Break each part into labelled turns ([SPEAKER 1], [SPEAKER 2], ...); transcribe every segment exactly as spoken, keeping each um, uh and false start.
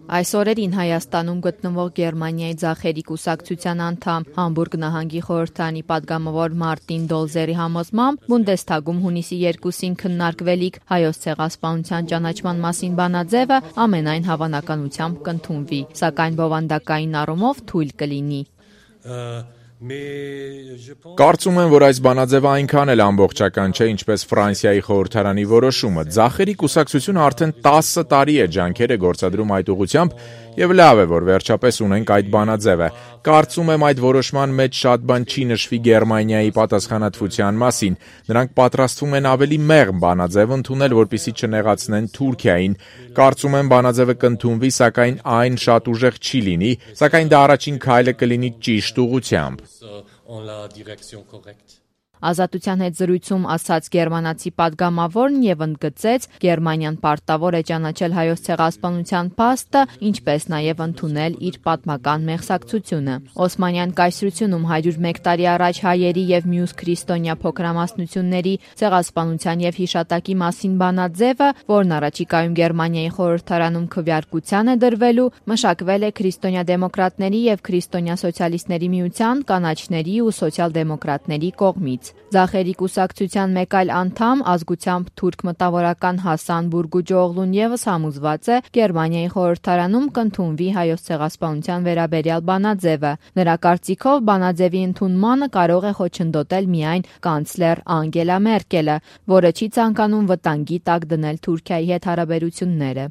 [SPEAKER 1] Այս օրերին Հայաստանում գտնվող Գերմանիայի ձախերի կուսակցության անդամ, Համբուրգ նահանգի խորհրդարանի պատգամավոր Մարտին Դոլզերի համոզմամբ, Բունդեսթագում հունիսի երկուսին քննարկվելիք Հայոց ցեղասպանության ճանաչման մասին բանաձևը ամենայն հավանականությամբ կընդունվի, սակայն բովանդակային առումով թույլ կլինի։
[SPEAKER 2] Կարծում եմ, որ այս բանաձևը այնքան էլ ամբողջական չէ, ինչպես Ֆրանսիայի խորհրդարանի որոշումը։ Ձախերի կուսակցությունը արդեն տասը տարի է ջանքեր է գործադրում այդ ուղղությամբ, եւ լավ է, որ վերջապես ունենք այդ բանաձևը։ Կարծում եմ, այդ որոշման մեջ շատ բան չի նշվի Գերմանիայի պատասխանատվության մասին։ Նրանք պատրաստվում են ավելի մեղմ բանաձև ընդունել, որպեսզի չնեղացնեն Թուրքիային։ Կարծում եմ, բանաձևը կընդունվի, սակայն այն շատ ուժեղ չի լինի, սակայն դա առաջին քայլը կլինի ճիշտ ուղղությամբ։
[SPEAKER 1] Ազատության հետ զրույցում ասաց գերմանացի պատգամավորն եւ ընդգծեց, Գերմանիան պարտավոր է ճանաչել Հայոց ցեղասպանության փաստը, ինչպես նաեւ ընդունել իր պատմական մեղսակցությունը։ Օսմանյան կայսրությունում հարյուր մեկ տարի առաջ հայերի եւ մյուս քրիստոնյա փոքրամասնությունների ցեղասպանության եւ հիշատակի մասին բանաձևը, որն առաջիկայում Գերմանիայի խորհրդարանում քվեարկության է դրվելու, մշակվել է քրիստոնյա դեմոկրատների եւ քրիստոնյա սոցիալիստների միության, կանաչների ու սոցիալ-դեմոկրատների կողմից։ Ձախերի կուսակցության մեկ այլ անդամ, ազգությամբ թուրք մտավորական Հասան Բուրգուջօղլուն եւս համոզված է, Գերմանիայի խորհրդարանում կընդունվի Հայոց ցեղասպանության վերաբերյալ բանաձևը։ Նրա կարծիքով բանաձևի ընդունմանը կարող է խոչընդոտել միայն կանցլեր Անգելա Մերկելը, որը չի ցանկանում վտանգի տակ դնել Թուրքիայի հետ հարաբերությունները։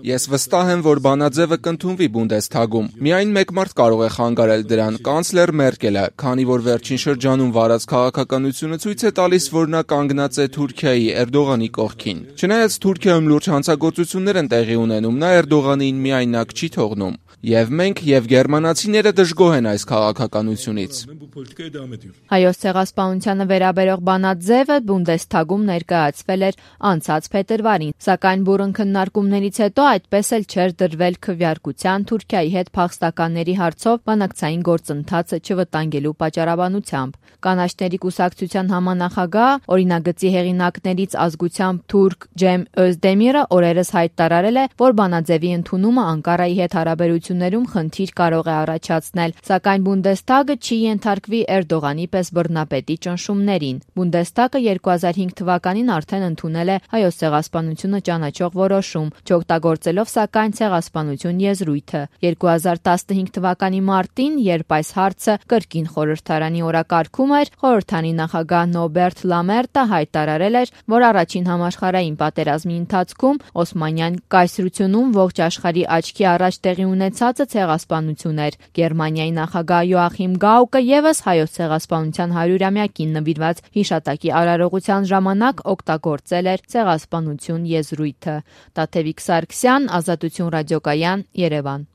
[SPEAKER 3] Ես վստահ եմ, որ բանաձևը կընդունվի Բունդեսթագում։ Միայն մեկ մարդ կարող է խանգարել դրան՝ կանցլեր Մերկելը, քանի որ վերջին շրջանում վարած քաղաքականությունը ցույց է տալիս, որ նա կանգնած է Թուրքիայի Էրդողանի կողքին։ Չնայած Թուրքիայում լուրջ հանցագործություններ են տեղի ունենում, նա Էրդողանին միայնակ չի թողնում։ Եվ մենք եւ գերմանացիները դժգոհ են այս քաղաքականությունից։
[SPEAKER 1] Հայոց ցեղասպանությանը վերաբերող բանաձևը Բունդեսթագում ներկայացվել էր անցած փետրվարին, սակայն բուռն քննարկումներից հետո այդպես էլ չէր դրվել քվեարկության Թուրքիայի հետ փախստականների հարցով բանակցային գործընթացը չվտանգելու պատճառաբանությամբ։ Կանաչների կուսակցության համանախագահ, օրինագծի հեղինակներից ազգությամբ թուրք Ջեմ Օզդեմիրը օրերս հայտարարել է, որ բանաձևի ընդունումը Անկարայի հետ հարաբերություններում խնդիր կարող է առաջացնել, սակայն Բունդեսթագը չի ենթարկվի Էրդողանի պես բռնապետի ճնշումներին։ Բունդեսթագը երկու հազար հինգ թվականին արդեն ընդունել է Հայոց ցեղասպանությունը ճանաչող որոշում, չօգտագործելով սակայն ցեղասպանություն եզրույթը։ երկու հազար տասնհինգ թվականի մարտին, երբ այս հարցը կրկին խորհրդարանի օրակարգում էր, խորհրդարանի նախագահ Նոբերտ Լամերտը հայտարարել էր, որ առաջին համաշխարհային պատերազմի ընթացքում Օսմանյան կայսրությունում ողջ աշխարհի աչքի առաջ տեղի ունեցածը ցեղասպանություն էր։ Գերմանիայի նախագահ Յոախիմ Գաուկը եւս Հայոց ցեղասպանության հարյուրամյակին նվիրված հիշատակի արարողության ժամանակ օգտագործել էր ցեղասպանություն եզրույթը։ Տաթևիկ Սարգսյան, Ազատություն ռադիոկայան, Երևան։